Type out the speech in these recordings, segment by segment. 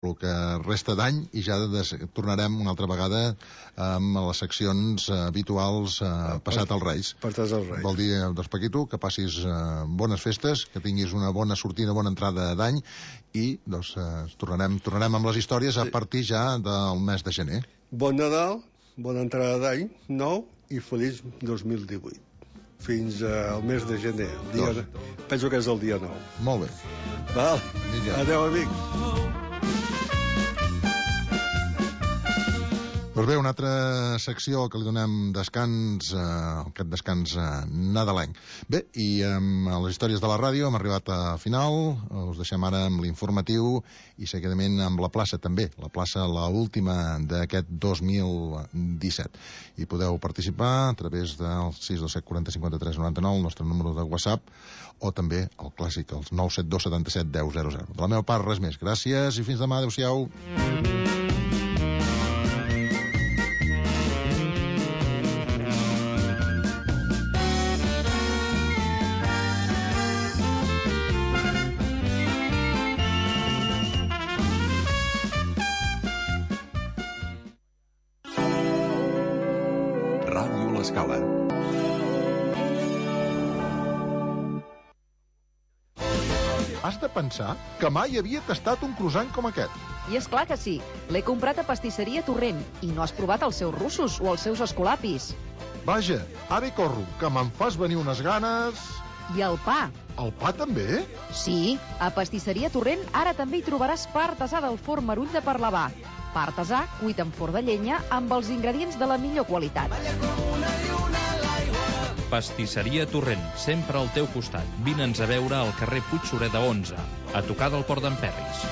el que resta d'any i ja tornarem una altra vegada amb les seccions habituals passat els Reis. Vol dir, doncs, Paquito, que passis bones festes, que tinguis una bona sortida, bona entrada d'any i doncs tornarem amb les històries a partir ja del mes de gener. Bon Nadal, bona entrada d'any nou i feliç 2018. Fins al mes de gener. Penso que és el dia 9. Molt bé. Val. Adéu, amics. Doncs bé, una altra secció que li donem descans, aquest descans nadalenc. Bé, i amb les històries de la ràdio hem arribat a final, us deixem ara amb l'informatiu i seguidament amb la plaça també, la plaça l'última d'aquest 2017. I podeu participar a través del 627 40 53 99, el nostre número de WhatsApp, o també el clàssic, els 972 77 10 00. De la meva part, res més. Gràcies i fins demà. Adéu-siau. L'Escala. Has de pensar que mai havia tastat un croissant com aquest. I és clar que sí. L'he comprat a Pastisseria Torrent i no has provat els seus russos o els seus escolapis. Vaja, ara hi corro, que me'n fas venir unes ganes... I el pa. El pa també? Sí, a Pastisseria Torrent ara també hi trobaràs pa artesà del forn Merull de Parlavà. Pa artesà cuit en forn de llenya amb els ingredients de la millor qualitat. Pastisseria Torrent, sempre al teu costat. Vine'ns a veure al carrer Puigsureda 11, a tocar del Port d'en Perris.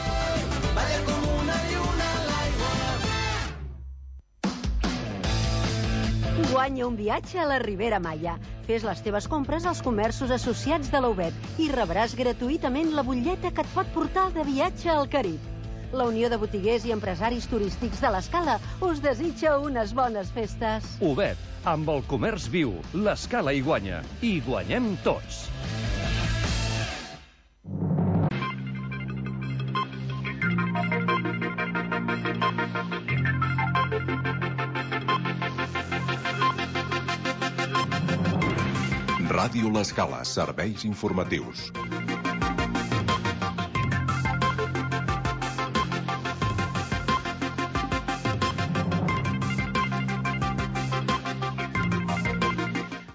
Guanya un viatge a la Ribera Maya. Fes les teves compres als comerços associats de la UBET i rebràs gratuïtament la butlleta que et pot portar de viatge al Carib. La Unió de Botiguers i Empresaris Turístics de l'Escala us desitja unes bones festes. UBET, amb el comerç viu, l'Escala hi guanya. I guanyem tots. Ràdio L'Escala, serveis informatius.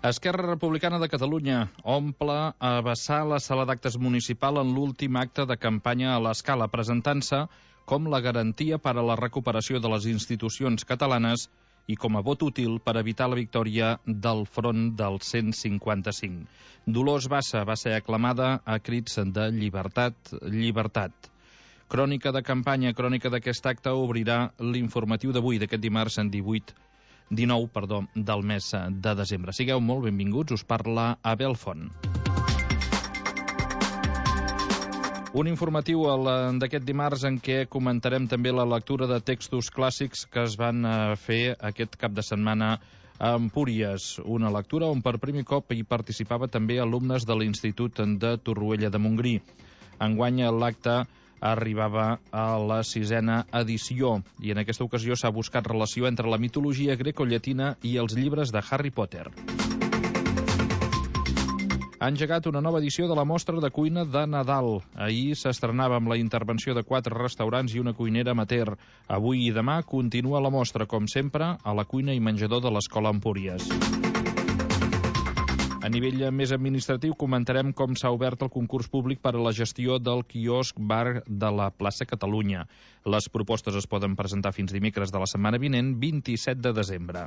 Esquerra Republicana de Catalunya omple a vessar la sala d'actes municipal en l'últim acte de campanya a l'Escala, presentant-se com la garantia per a la recuperació de les institucions catalanes i com a vot útil per evitar la victòria del front del 155. Dolors Bassa va ser aclamada a crits de llibertat, llibertat. Crònica de campanya, crònica d'aquest acte, obrirà l'informatiu d'avui, d'aquest dimarts en 19 del mes de desembre. Sigueu molt benvinguts, us parla Abel Font. Un informatiu d'aquest dimarts en què comentarem també la lectura de textos clàssics que es van fer aquest cap de setmana a Empúries. Una lectura on per primer cop hi participava també alumnes de l'Institut de Torroella de Montgrí. Enguany l'acte arribava a la 6a edició i en aquesta ocasió s'ha buscat relació entre la mitologia grecollatina i els llibres de Harry Potter. Ha engegat una nova edició de la mostra de cuina de Nadal. Ahir s'estrenava amb la intervenció de 4 restaurants i una cuinera amateur. Avui i demà continua la mostra, com sempre, a la cuina i menjador de l'Escola Empúries. A nivell més administratiu comentarem com s'ha obert el concurs públic per a la gestió del quiosc bar de la plaça Catalunya. Les propostes es poden presentar fins dimecres de la setmana vinent, 27 de desembre.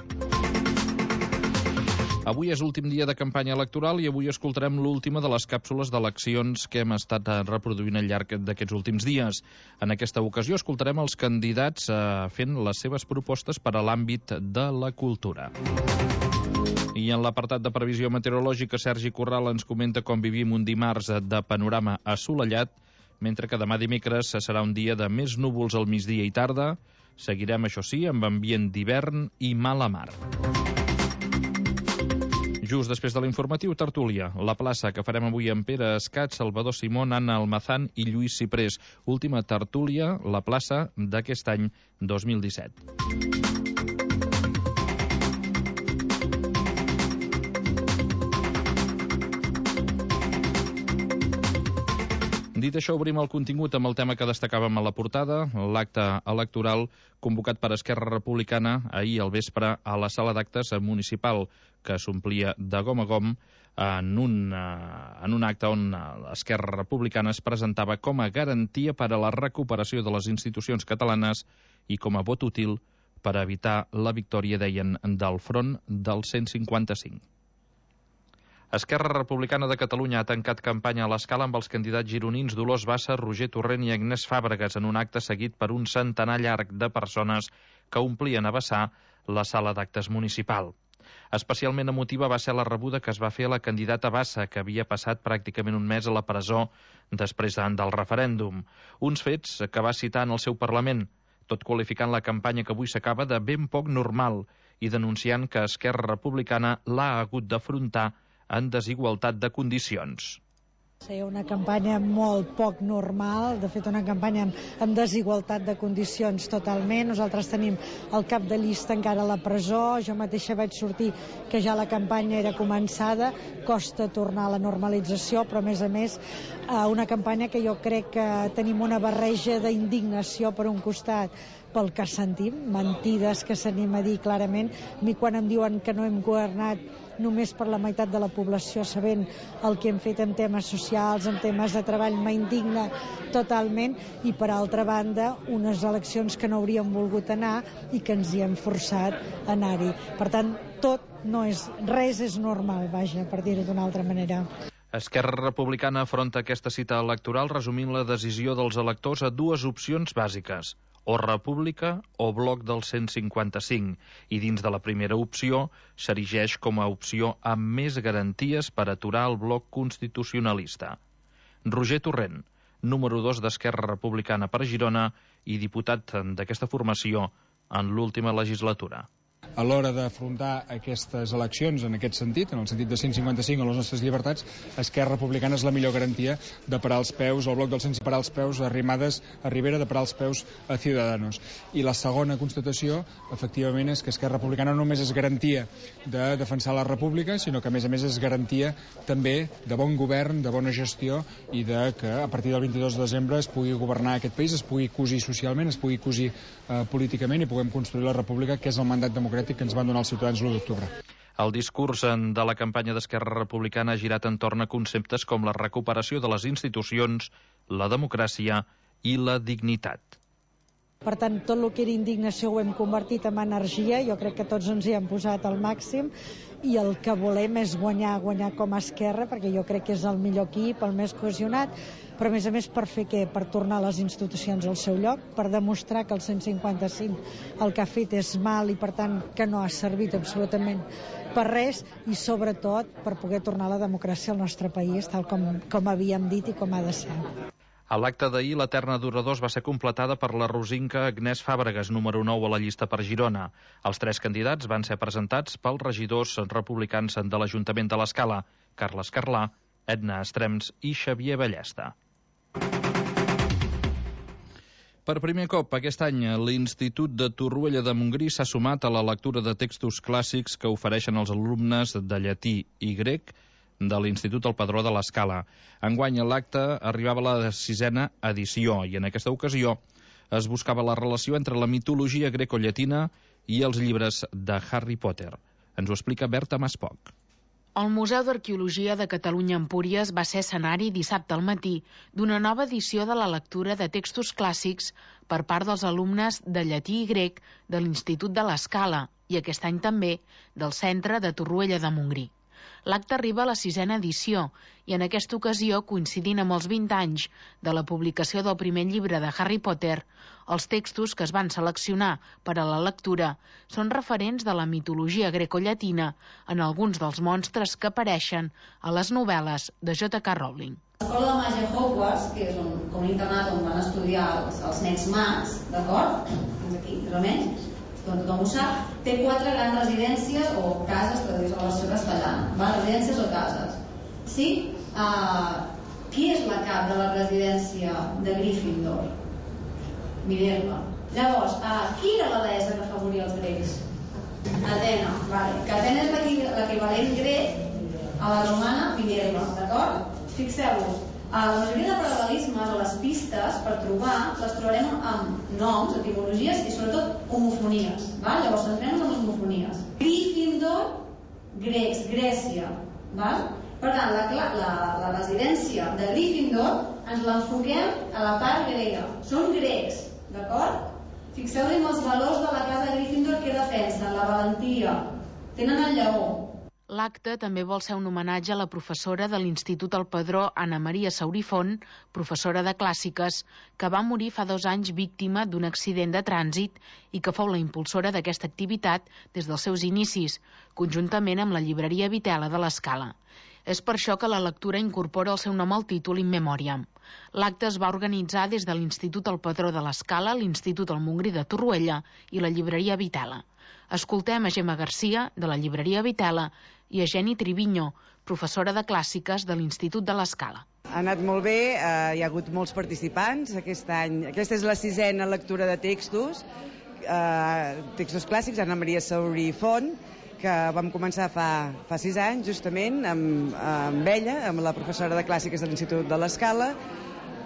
Avui és l'últim dia de campanya electoral i avui escoltarem l'última de les càpsules d'eleccions que hem estat reproduint al llarg d'aquests últims dies. En aquesta ocasió escoltarem els candidats fent les seves propostes per a l'àmbit de la cultura. I en l'apartat de previsió meteorològica, Sergi Corral ens comenta com vivim un dimarts de panorama assolellat, mentre que demà dimecres serà un dia de més núvols al migdia i tarda. Seguirem, això sí, amb ambient d'hivern i mala mar. Just després de l'informatiu, tertúlia. La plaça que farem avui amb Pere Escat, Salvador Simón, Anna Almazán i Lluís Ciprés. Última tertúlia, la plaça d'aquest any 2017. Dit això, obrim el contingut amb el tema que destacàvem a la portada, l'acte electoral convocat per Esquerra Republicana ahir al vespre a la sala d'actes municipal, que s'omplia de gom a gom en un acte on Esquerra Republicana es presentava com a garantia per a la recuperació de les institucions catalanes i com a vot útil per evitar la victòria, deien, del front del 155. Esquerra Republicana de Catalunya ha tancat campanya a l'Escala amb els candidats gironins Dolors Bassa, Roger Torrent i Agnès Fàbregas en un acte seguit per un centenar llarg de persones que omplien a vessar la sala d'actes municipal. Especialment emotiva va ser la rebuda que es va fer a la candidata Bassa, que havia passat pràcticament un mes a la presó després del referèndum. Uns fets que va citar en el seu Parlament, tot qualificant la campanya que avui s'acaba de ben poc normal i denunciant que Esquerra Republicana l'ha hagut d'afrontar en desigualtat de condicions. Seria una campanya molt poc normal, de fet una campanya amb desigualtat de condicions totalment. Nosaltres tenim el cap de llista encara a la presó, jo mateixa vaig sortir que ja la campanya era començada, costa tornar a la normalització, però a més una campanya que jo crec que tenim una barreja d'indignació per un costat pel que sentim, mentides que s'anim a dir clarament. A mi quan em diuen que no hem governat només per la meitat de la població, sabent el que hem fet en temes socials, en temes de treball, m'indigna totalment, i per altra banda unes eleccions que no hauríem volgut anar i que ens hi hem forçat a anar-hi. Per tant, res és normal, vaja, per dir-ho d'una altra manera. Esquerra Republicana afronta aquesta cita electoral resumint la decisió dels electors a dues opcions bàsiques: o república o bloc del 155, i dins de la primera opció s'erigeix com a opció amb més garanties per aturar el bloc constitucionalista. Roger Torrent, número 2 d'Esquerra Republicana per Girona i diputat d'aquesta formació en l'última legislatura. A l'hora d'afrontar aquestes eleccions en aquest sentit, en el sentit de 155 a les nostres llibertats, Esquerra Republicana és la millor garantia de parar els peus al bloc del 155, parar els peus a Arrimadas, a Rivera, de parar els peus a Ciudadanos. I la segona constatació, efectivament, és que Esquerra Republicana no només és garantia de defensar la república, sinó que a més és garantia també de bon govern, de bona gestió i de que a partir del 22 de desembre es pugui governar aquest país, es pugui cosir socialment, es pugui cosir políticament i puguem construir la república, que és el mandat democràtic que ens van donar els ciutadans l'1 d'octubre. El discurs de la campanya d'Esquerra Republicana ha girat entorn a conceptes com la recuperació de les institucions, la democràcia i la dignitat. Per tant, tot el que era indignació ho hem convertit en energia, jo crec que tots ens hi hem posat al màxim, i el que volem és guanyar com a Esquerra, perquè jo crec que és el millor equip, el més cohesionat, però a més per fer què? Per tornar les institucions al seu lloc, per demostrar que el 155 el que ha fet és mal i per tant que no ha servit absolutament per res, i sobretot per poder tornar la democràcia al nostre país tal com havíem dit i com ha de ser. A l'acte d'ahir, la terna d'oradors va ser completada per la rosinca Agnès Fàbregas, número 9 a la llista per Girona. Els 3 candidats van ser presentats pels regidors republicans de l'Ajuntament de l'Escala, Carles Carlà, Edna Estrems i Xavier Ballesta. Per primer cop aquest any, l'Institut de Torroella de Montgrí s'ha sumat a la lectura de textos clàssics que ofereixen els alumnes de llatí i grec de l'Institut El Padró de l'Escala. Enguany l'acte arribava a la 6a edició i en aquesta ocasió es buscava la relació entre la mitologia grecollatina i els llibres de Harry Potter. Ens ho explica Berta Maspoc. El Museu d'Arqueologia de Catalunya Empúries va ser escenari dissabte al matí d'una nova edició de la lectura de textos clàssics per part dels alumnes de llatí i grec de l'Institut de l'Escala i aquest any també del Centre de Torroella de Montgrí. L'acte arriba a la 6a edició i en aquesta ocasió, coincidint amb els 20 anys de la publicació del primer llibre de Harry Potter, els textos que es van seleccionar per a la lectura són referents de la mitologia grecollatina en alguns dels monstres que apareixen a les novel·les de J.K. Rowling. L'escola de màgia Hogwarts, que és com un internat on van estudiar els nens mags, d'acord? Fins aquí, més o menys. tothom ho sap, té 4 grans residències o cases, traduïdes a la versió castellana, residències o cases. Sí? Qui és la cap de la residència de Gryffindor? Minerva. Llavors, qui era la deessa que afavoria els grecs? Atena, vale. Que Atena és l'equivalent grec a la romana Minerva, d'acord? Fixeu-vos, la majoria de paral·lelismes o les pistes per trobar les trobarem amb noms, etimologies i sobretot homofonies. Llavors centrem-nos en les homofonies. Gryffindor, grecs, Grècia. Per tant, la residència de Gryffindor ens l'enfoquem a la part grega. Són grecs, d'acord? Fixeu-vos en els valors de la casa de Gryffindor que defensen, la valentia. Tenen el lleó. L'acte també vol ser un homenatge a la professora de l'Institut El Padró, Anna Maria Saurí Font, professora de clàssiques, que va morir fa 2 anys víctima d'un accident de trànsit i que fou la impulsora d'aquesta activitat des dels seus inicis, conjuntament amb la llibreria Vitela de l'Escala. És per això que la lectura incorpora el seu nom al títol In Memoriam. L'acte es va organitzar des de l'Institut El Padró de l'Escala, l'Institut El Montgrí de Torroella i la llibreria Vitela. Escoltem a Gemma Garcia, de la llibreria Vitela, i a Jenny Triviño, professora de clàssiques de l'Institut de l'Escala. Ha anat molt bé, hi ha hagut molts participants aquest any. Aquesta és la 6a lectura de textos clàssics, Anna Maria Saurí Font, que vam començar fa 6 anys, justament, amb ella, amb la professora de clàssiques de l'Institut de l'Escala,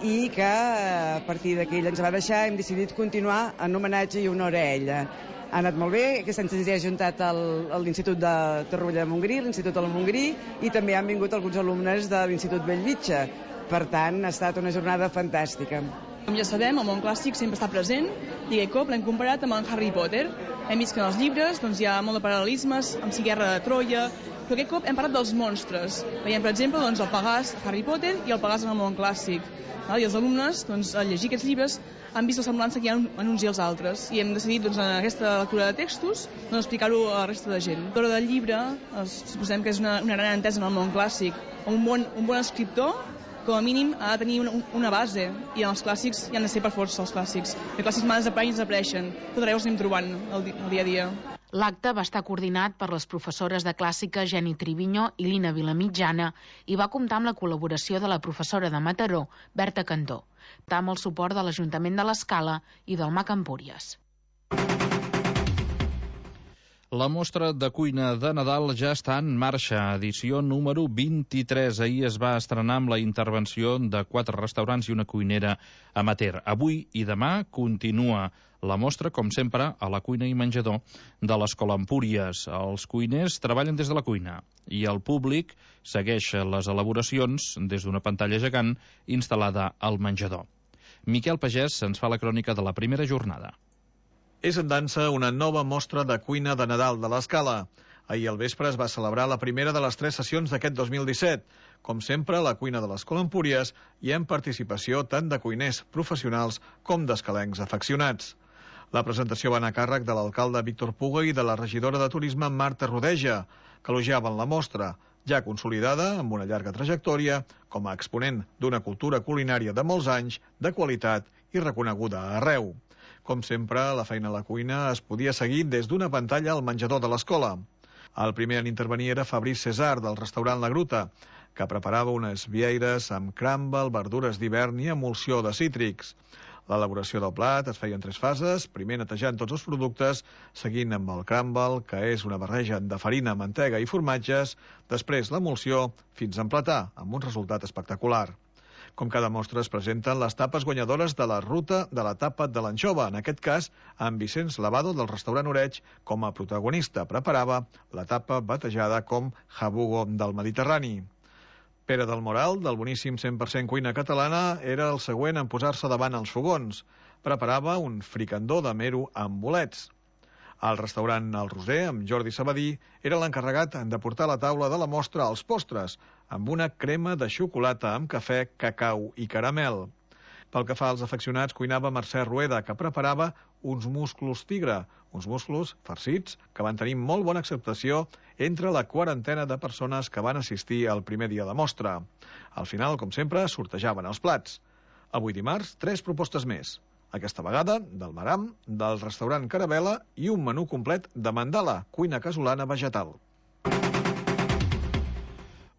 i que a partir d'aquí ella ens va deixar, hem decidit continuar en homenatge i honor a ella. Ha anat molt bé, aquest any se'ns ha ajuntat a l'Institut de Torroella de Montgrí, l'Institut del Montgrí, i també han vingut alguns alumnes de l'Institut Bellvitge. Per tant, ha estat una jornada fantàstica. Com ja sabem, el món clàssic sempre està present i aquest cop l'hem comparat amb en Harry Potter. Hem vist que en els llibres hi ha molt de paral·lelismes, amb la guerra de Troia, però aquest cop hem parlat dels monstres. Veiem, per exemple, el Pegàs a Harry Potter i el Pegàs en el món clàssic. I els alumnes, al llegir aquests llibres, han vist la semblança que hi ha en uns i els altres i hem decidit en aquesta lectura de textos explicar-ho a la resta de gent. L'autora del llibre, suposem que és una gran entesa en el món clàssic. Un bon escriptor, com a mínim, ha de tenir una base i en els clàssics hi han de ser per força els clàssics. Els clàssics mai desapareixen, tot arreu els anem trobant el dia a dia. L'acte va estar coordinat per les professores de clàssica Jenny Triviño i Lina Vilamitjana i va comptar amb la col·laboració de la professora de Mataró, Berta Cantó, amb el suport de l'Ajuntament de l'Escala i del MAC Empúries. La mostra de cuina de Nadal ja està en marxa, edició número 23. Ahir es va estrenar amb la intervenció de 4 restaurants i una cuinera amateur. Avui i demà continua la mostra, com sempre, a la cuina i menjador de l'Escola Empúries. Els cuiners treballen des de la cuina i el públic segueix les elaboracions des d'una pantalla gegant instal·lada al menjador. Miquel Pagès ens fa la crònica de la primera jornada. És en dansa una nova mostra de cuina de Nadal de l'Escala. Ahir al vespre es va celebrar la primera de les 3 sessions d'aquest 2017. Com sempre, a la cuina de l'Escola Empúries hi ha participació tant de cuiners professionals com d'escalencs afeccionats. La presentació va anar a càrrec de l'alcalde Víctor Puga i de la regidora de Turisme Marta Rodeja, que elogiaven la mostra, ja consolidada amb una llarga trajectòria com a exponent d'una cultura culinària de molts anys, de qualitat i reconeguda arreu. Com sempre, la feina a la cuina es podia seguir des d'una pantalla al menjador de l'escola. El primer en intervenir era Fabrice César, del restaurant La Gruta, que preparava unes vieires amb crumble, verdures d'hivern i emulsió de cítrics. L'elaboració del plat es feia en 3 fases, primer netejant tots els productes, seguint amb el crumble, que és una barreja de farina, mantega i formatges, després l'emulsió, fins a emplatar, amb un resultat espectacular. Com cada mostra es presenten les tapes guanyadores de la ruta de la tapa de l'anxova, en aquest cas amb Vicenç Lavado del restaurant Oreig com a protagonista. Preparava la tapa batejada com jabugo del Mediterrani. Pere del Moral, del boníssim 100% cuina catalana, era el següent en posar-se davant els fogons. Preparava un fricandó de mero amb bolets. Al restaurant El Roser, amb Jordi Sabadí, era l'encarregat de portar a la taula de la mostra els postres, amb una crema de xocolata amb cafè, cacau i caramel. Pel que fa als afeccionats, cuinava Mercè Rueda, que preparava uns musclos tigre, uns musclos farcits que van tenir molt bona acceptació entre la quarantena de persones que van assistir al primer dia de mostra. Al final, com sempre, sortejaven els plats. Avui dimarts, 3 propostes més. Aquesta vegada, del Maram, del restaurant Carabela i un menú complet de mandala, cuina casolana vegetal.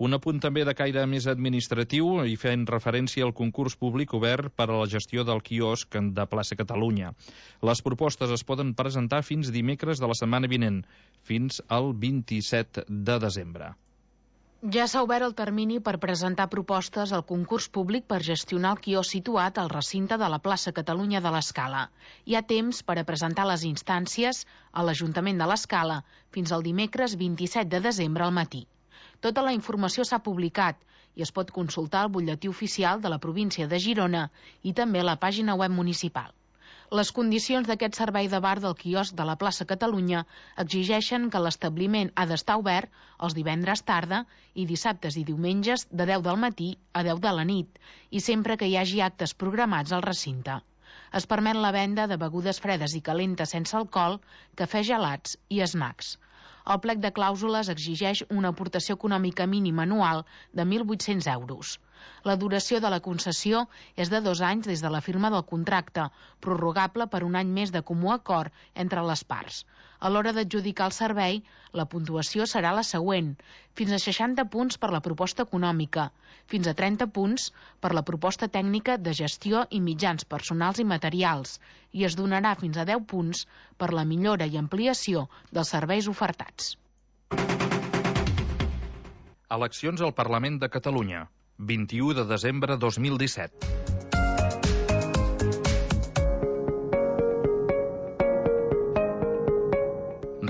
Un apunt també de caire més administratiu i fent referència al concurs públic obert per a la gestió del quiosc de Plaça Catalunya. Les propostes es poden presentar fins dimecres de la setmana vinent, fins al 27 de desembre. Ja s'ha obert el termini per presentar propostes al concurs públic per gestionar el quiosc situat al recinte de la plaça Catalunya de l'Escala. Hi ha temps per a presentar les instàncies a l'Ajuntament de l'Escala fins al dimecres 27 de desembre al matí. Tota la informació s'ha publicat i es pot consultar al butlletí oficial de la província de Girona i també a la pàgina web municipal. Les condicions d'aquest servei de bar del quiosc de la plaça Catalunya exigeixen que l'establiment ha d'estar obert els divendres tarda i dissabtes i diumenges de 10 del matí a 10 de la nit i sempre que hi hagi actes programats al recinte. Es permet la venda de begudes fredes i calentes sense alcohol, cafès gelats i snacks. El plec de clàusules exigeix una aportació econòmica mínima anual de 1.800 euros. La duració de la concessió és de 2 anys des de la firma del contracte, prorrogable per un any més de comú acord entre les parts. A l'hora d'adjudicar el servei, la puntuació serà la següent: fins a 60 punts per la proposta econòmica, fins a 30 punts per la proposta tècnica de gestió i mitjans personals i materials, i es donarà fins a 10 punts per la millora i ampliació dels serveis ofertats. Eleccions al Parlament de Catalunya, 21 de desembre 2017.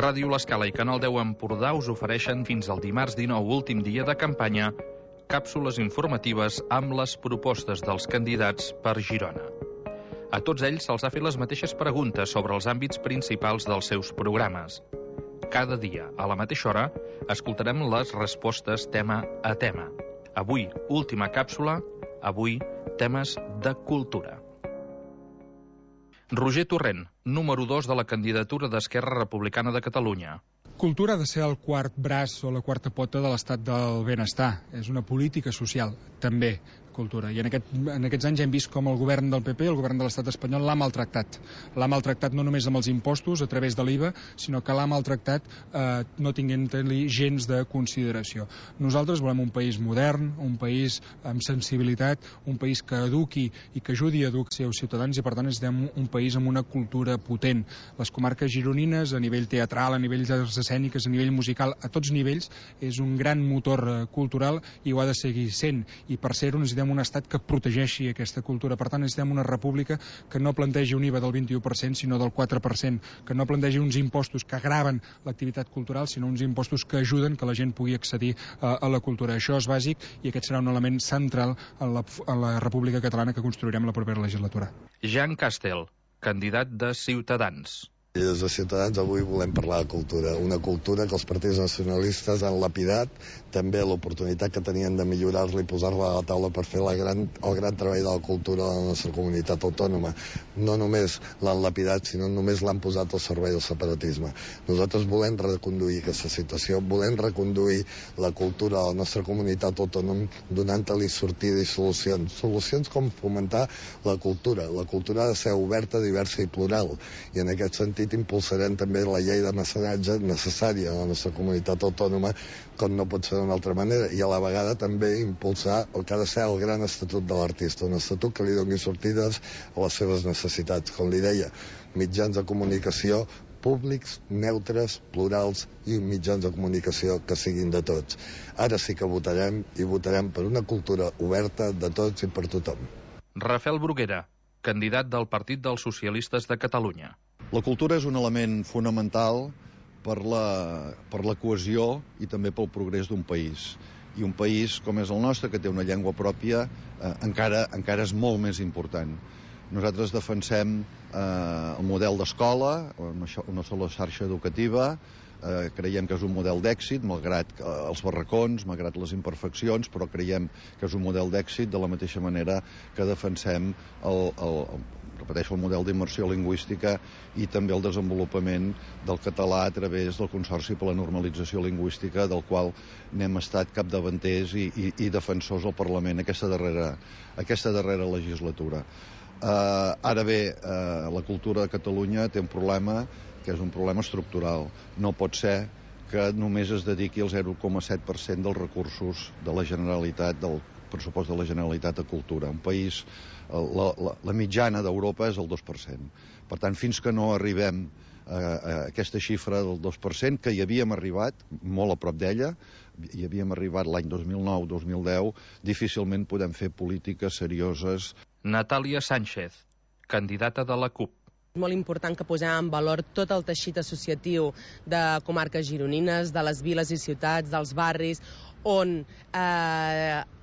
Ràdio L'Escala i Canal 10 Empordà us ofereixen fins al dimarts 19, últim dia de campanya, càpsules informatives amb les propostes dels candidats per Girona. A tots ells se'ls ha fet les mateixes preguntes sobre els àmbits principals dels seus programes. Cada dia, a la mateixa hora, escoltarem les respostes tema a tema. Avui, última càpsula, avui, temes de cultura. Roger Torrent, número 2 de la candidatura d'Esquerra Republicana de Catalunya. Cultura ha de ser el quart braç o la quarta pota de l'estat del benestar. És una política social, també, cultura. I en aquests anys hem vist com el govern del PP, el govern de l'estat espanyol, l'ha maltractat. L'ha maltractat no només amb els impostos, a través de l'IVA, sinó que l'ha maltractat no tinguent-li gens de consideració. Nosaltres volem un país modern, un país amb sensibilitat, un país que eduqui i que ajudi a educar els seus ciutadans i, per tant, necessitem un país amb una cultura potent. Les comarques gironines, a nivell teatral, a nivell d'arts escèniques, a nivell musical, a tots nivells, és un gran motor cultural i ho ha de seguir sent. I per ser-ho necessitem un estat que protegeixi aquesta cultura. Per tant, necessitem una república que no plantegi un IVA del 21%, sinó del 4%, que no plantegi uns impostos que agraven l'activitat cultural, sinó uns impostos que ajuden que la gent pugui accedir a la cultura. Això és bàsic i aquest serà un element central en la República Catalana que construirem la propera legislatura. Jean Castel, candidat de Ciutadans. I des de Ciutadans avui volem parlar de cultura, una cultura que els partits nacionalistes han lapidat, també l'oportunitat que tenien de millorar-la i posar-la a la taula per fer el gran treball de la cultura de la nostra comunitat autònoma. No només l'han lapidat, sinó només l'han posat al servei del separatisme. Nosaltres volem reconduir aquesta situació, volem reconduir la cultura de la nostra comunitat autònoma donant-li sortida i solucions. Solucions com fomentar la cultura. La cultura ha de ser oberta, diversa i plural. I en aquest sentit impulsarem també la llei de mecenatge necessària a la nostra comunitat autònoma, com no pot ser d'una altra manera, i a la vegada també impulsar el que ha de ser el gran estatut de l'artista, un estatut que li doni sortides a les seves necessitats. Com li deia, mitjans de comunicació públics, neutres, plurals i mitjans de comunicació que siguin de tots. Ara sí que votarem, i votarem per una cultura oberta de tots i per tothom. Rafael Bruguera, candidat del Partit dels Socialistes de Catalunya. La cultura és un element fonamental per la cohesió i també pel progrés d'un país. I un país com és el nostre, que té una llengua pròpia, encara és molt més important. Nosaltres defensem el model d'escola, una sola xarxa educativa, creiem que és un model d'èxit, malgrat els barracons, malgrat les imperfeccions, però creiem que és un model d'èxit de la mateixa manera que defensem el model d'immersió lingüística i també el desenvolupament del català a través del Consorci per la Normalització Lingüística, del qual n'hem estat capdavanters i defensors al Parlament aquesta darrera legislatura. Ara bé, la cultura de Catalunya té un problema que és un problema estructural. No pot ser que només es dediqui el 0,7% dels recursos de la Generalitat, del pressupost de la Generalitat a cultura. Un país, la mitjana d'Europa és el 2%. Per tant, fins que no arribem a aquesta xifra del 2%, que hi havíem arribat molt a prop d'ella, hi havíem arribat l'any 2009-2010, difícilment podem fer polítiques serioses. Natàlia Sánchez, candidata de la CUP. És molt important que posem en valor tot el teixit associatiu de comarques gironines, de les viles i ciutats, dels barris, on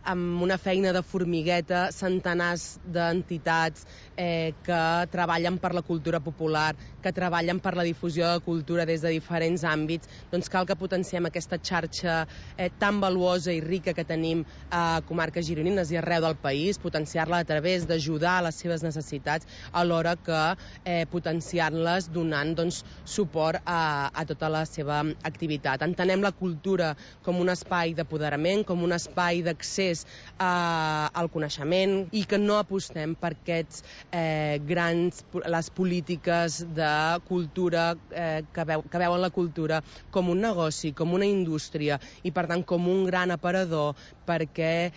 amb una feina de formigueta, centenars d'entitats que treballen per la cultura popular, que treballen per la difusió de cultura des de diferents àmbits, doncs cal que potenciem aquesta xarxa tan valuosa i rica que tenim a comarques gironines i arreu del país, potenciar-la a través d'ajudar a les seves necessitats, alhora que potenciar-les donant suport a tota la seva activitat. Entenem la cultura com un espai d'apoderament, com un espai d'accés al coneixement, i que no apostem per aquests les polítiques de cultura que veuen la cultura com un negoci, com una indústria i per tant com un gran aparador perquè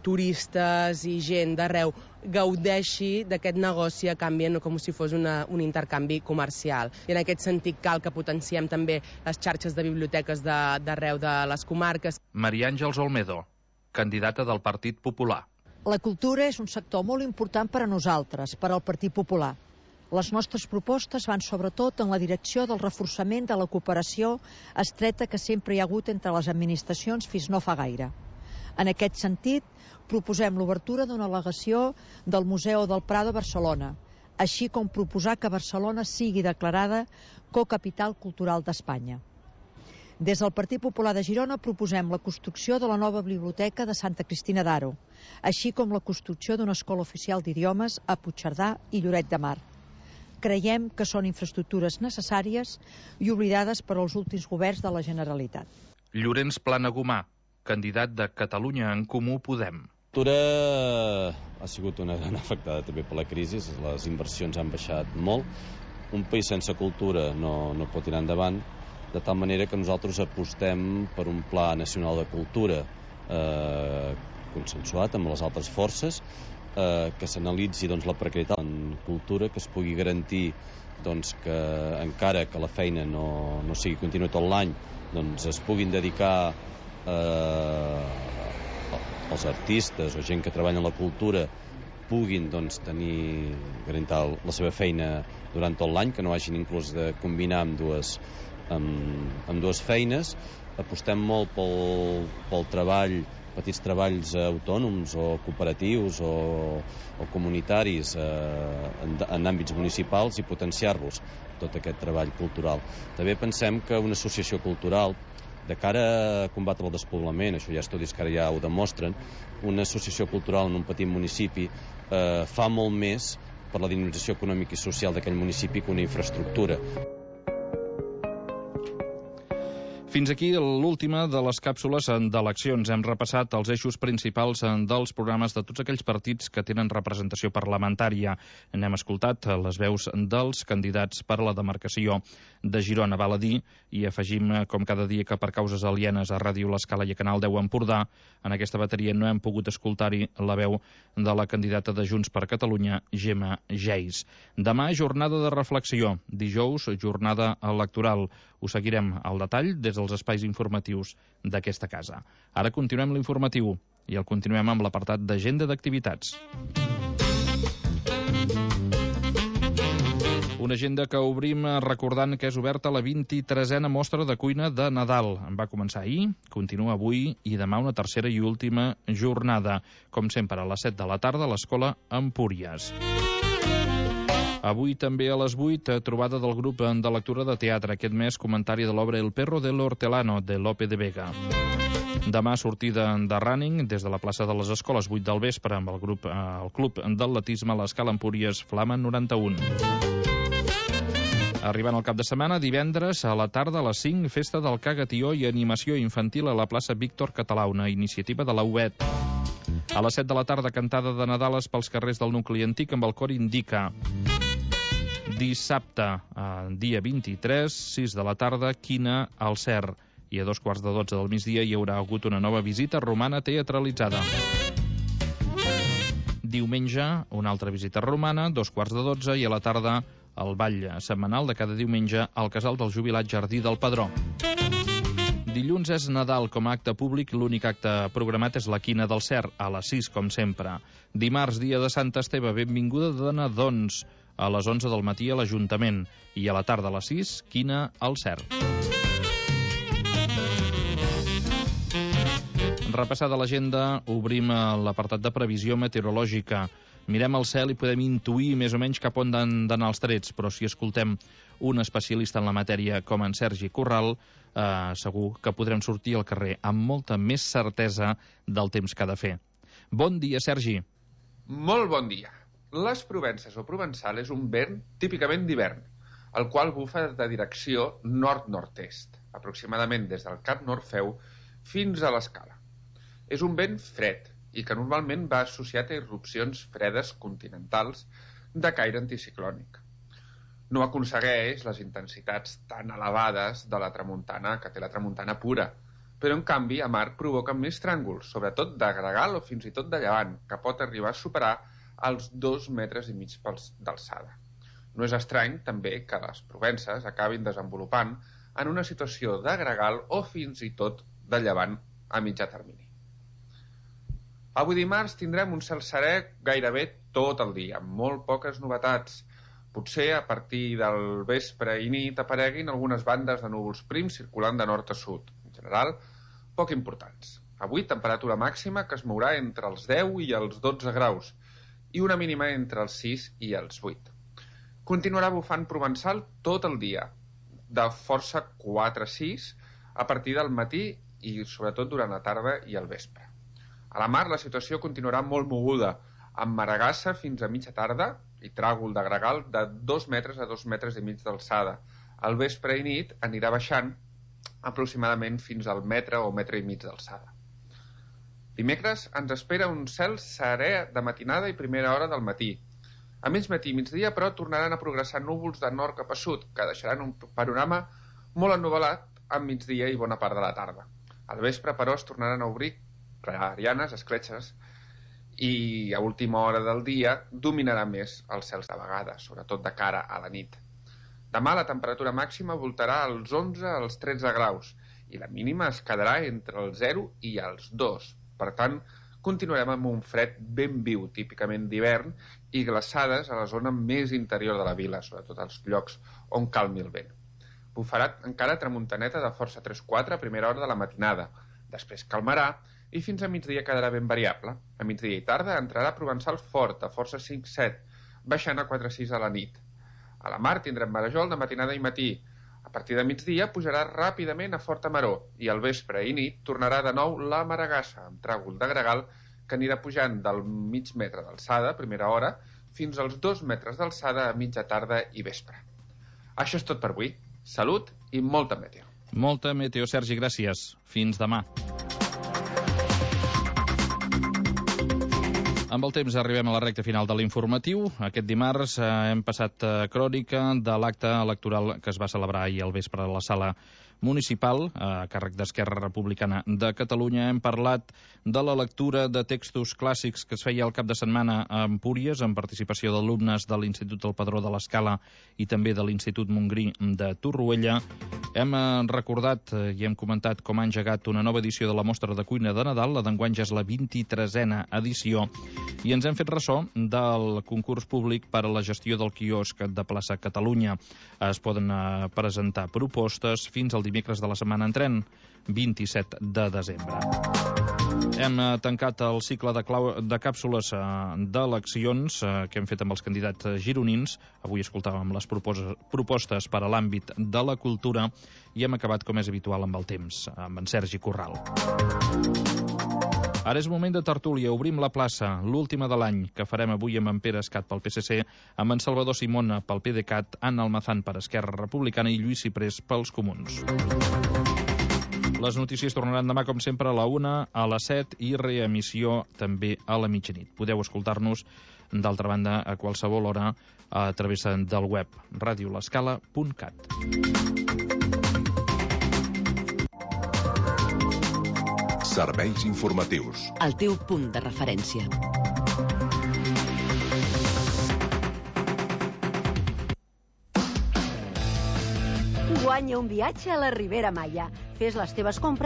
turistes i gent d'arreu gaudeixi d'aquest negoci a canvi com si fos un intercanvi comercial. I en aquest sentit cal que potenciem també les xarxes de biblioteques d'arreu de les comarques. Maria Àngels Olmedo, candidata del Partit Popular. La cultura és un sector molt important per a nosaltres, per al Partit Popular. Les nostres propostes van sobretot en la direcció del reforçament de la cooperació estreta que sempre hi ha hagut entre les administracions fins no fa gaire. En aquest sentit, proposem l'obertura d'una al·legació del Museu del Prado a Barcelona, així com proposar que Barcelona sigui declarada cocapital cultural d'Espanya. Des del Partit Popular de Girona proposem la construcció de la nova biblioteca de Santa Cristina d'Aro, així com la construcció d'una escola oficial d'idiomes a Puigcerdà i Lloret de Mar. Creiem que són infraestructures necessàries i oblidades per als últims governs de la Generalitat. Llorenç Planagumà, candidat de Catalunya en Comú Podem. La cultura ha sigut una gran afectada també per la crisi, les inversions han baixat molt. Un país sense cultura no pot tirar endavant, de tal manera que nosaltres apostem per un pla nacional de cultura consensuat amb les altres forces, que s'analitzi la precarietat en cultura, que es pugui garantir que encara que la feina no sigui contínua tot l'any, es puguin dedicar els artistes o gent que treballa en la cultura puguin garantir la seva feina durant tot l'any, que no hagin inclús de combinar amb dues feines. Apostem molt pel treball, petits treballs autònoms o cooperatius o comunitaris en àmbits municipals i potenciar-los, tot aquest treball cultural. També pensem que una associació cultural, de cara a combatre el despoblament, això hi ha estudis que ara ja ho demostren, una associació cultural en un petit municipi fa molt més per la dinamització econòmica i social d'aquell municipi que una infraestructura. Fins aquí l'última de les càpsules d'eleccions. Hem repassat els eixos principals dels programes de tots aquells partits que tenen representació parlamentària. N'hem escoltat les veus dels candidats per a la demarcació de Girona. Val a dir, i afegim com cada dia que per causes alienes a Ràdio L'Escala i a Canal 10 Empordà, en aquesta bateria no hem pogut escoltar-hi la veu de la candidata de Junts per Catalunya, Gemma Geis. Demà, jornada de reflexió. Dijous, jornada electoral. Ho seguirem al detall des dels espais informatius d'aquesta casa. Ara continuem l'informatiu i el continuem amb l'apartat d'agenda d'activitats. Una agenda que obrim recordant que és oberta la 23a mostra de cuina de Nadal. Va començar ahir, continua avui i demà una tercera i última jornada. Com sempre, a les 7 de la tarda a l'Escola Empúries. Avui també a les 8, trobada del grup de lectura de teatre. Aquest mes, comentari de l'obra El perro del hortelano, de Lope de Vega. Demà, sortida de running des de la plaça de les Escoles, 8 del vespre, amb el Club d'Atletisme a l'Escala Empúries Flama 91. Arribant al cap de setmana, divendres a la tarda a les 5, festa del Cagatió i animació infantil a la plaça Víctor Català, una iniciativa de la UET. A les 7 de la tarda, cantada de Nadales pels carrers del nucli antic amb el cor Indica. Dissabte, dia 23, 6 de la tarda, Quina al Cer. I a 2:15 del migdia hi haurà hagut una nova visita romana teatralitzada. Diumenge, una altra visita romana, 2:15, i a la tarda el ball setmanal de cada diumenge al Casal del Jubilat Jardí del Pedró. Dilluns és Nadal com a acte públic, l'únic acte programat és la Quina del Cer, a les 6, com sempre. Dimarts, dia de Sant Esteve, benvinguda de nadons, a les 11 del matí a l'Ajuntament, i a la tarda a les 6, Quina al Cer. Repassada l'agenda, obrim l'apartat de previsió meteorològica. Mirem el cel i podem intuir més o menys cap on han d'anar els trets, però si escoltem un especialista en la matèria com en Sergi Corral, segur que podrem sortir al carrer amb molta més certesa del temps que ha de fer. Bon dia, Sergi. Molt bon dia. Les Provences o Provençal és un vent típicament d'hivern, el qual bufa de direcció nord-nord-est, aproximadament des del Cap Norfeu fins a l'Escala. És un vent fred i que normalment va associat a irrupcions fredes continentals de caire anticiclònic. No aconsegueix les intensitats tan elevades de la tramuntana que té la tramuntana pura, però en canvi a mar provoca més tràngols, sobretot de gregal o fins i tot de llevant, que pot arribar a superar els 2,5 metres d'alçada. No és estrany, també, que les Provences acabin desenvolupant en una situació de gregal o fins i tot de llevant a mitjà termini. Avui dimarts tindrem un cel serè gairebé tot el dia, amb molt poques novetats. Potser a partir del vespre i nit apareguin algunes bandes de núvols prims circulant de nord a sud. En general, poc importants. Avui temperatura màxima que es mourà entre els 10 i els 12 graus i una mínima entre els 6 i els 8. Continuarà bufant provençal tot el dia, de força 4-6 a partir del matí i sobretot durant la tarda i el vespre. A la mar la situació continuarà molt moguda, amb maragassa fins a mitja tarda i tràgol de gregal de 2 metres a 2,5 metres d'alçada. Al vespre i nit anirà baixant aproximadament fins al metre o metre i mig d'alçada. Dimecres ens espera un cel serè de matinada i primera hora del matí. A mig matí i migdia, però, tornaran a progressar núvols de nord cap a sud, que deixaran un panorama molt ennuvolat a migdia i bona part de la tarda. Al vespre, però, es tornaran a obrir clarianes, escletxes, i a última hora del dia dominarà més els cels de vegades, sobretot de cara a la nit. Demà la temperatura màxima voltarà als 11 als 13 graus i la mínima es quedarà entre el 0 i els 2. Per tant, continuarem amb un fred ben viu, típicament d'hivern, i glaçades a la zona més interior de la vila, sobretot als llocs on calmi el vent. Bufarà encara tramuntaneta de força 3-4 a primera hora de la matinada. Després calmarà i fins a migdia quedarà ben variable. A migdia i tarda entrarà provençal fort, a força 5-7, baixant a 4-6 a la nit. A la mar tindrem marejol de matinada i matí. A partir de migdia pujarà ràpidament a forta maror i al vespre i nit tornarà de nou la maragassa, amb tràgol de gregal que anirà pujant del mig metre d'alçada, primera hora, fins als 2 metres d'alçada a mitja tarda i vespre. Això és tot per avui. Salut i molta meteo. Molta meteo, Sergi, gràcies. Fins demà. Amb el temps arribem a la recta final de l'informatiu. Aquest dimarts hem passat crònica de l'acte electoral que es va celebrar ahir al vespre a la sala municipal, a càrrec d'Esquerra Republicana de Catalunya. Hem parlat de la lectura de textos clàssics que es feia el cap de setmana a Empúries, amb participació d'alumnes de l'Institut del Pedró de l'Escala i també de l'Institut Montgrí de Torroella. Hem recordat i hem comentat com ha engegat una nova edició de la Mostra de Cuina de Nadal. La d'enguany ja és la 23a edició. I ens hem fet ressò del concurs públic per a la gestió del quiosc de Plaça Catalunya. Es poden presentar propostes fins al dimecres de la setmana entrant, 27 de desembre. Hem tancat el cicle de càpsules d'eleccions que hem fet amb els candidats gironins. Avui escoltàvem les propostes per a l'àmbit de la cultura i hem acabat, com és habitual, amb el temps, amb en Sergi Corral. Ara és moment de tertúlia. Obrim la plaça, l'última de l'any, que farem avui amb en Pere Escat pel PSC, amb en Salvador Simona pel PDeCAT, Anna Almazán per Esquerra Republicana i Lluís Ciprés pels Comuns. Les notícies tornaran demà, com sempre, a la 1, a les 7 i reemissió també a la mitjanit. Podeu escoltar-nos, d'altra banda, a qualsevol hora a través del web radiolescala.cat. Serveis informatius. El teu punt de referència. Guanya un viatge a la Ribera Maya. Fes les teves compres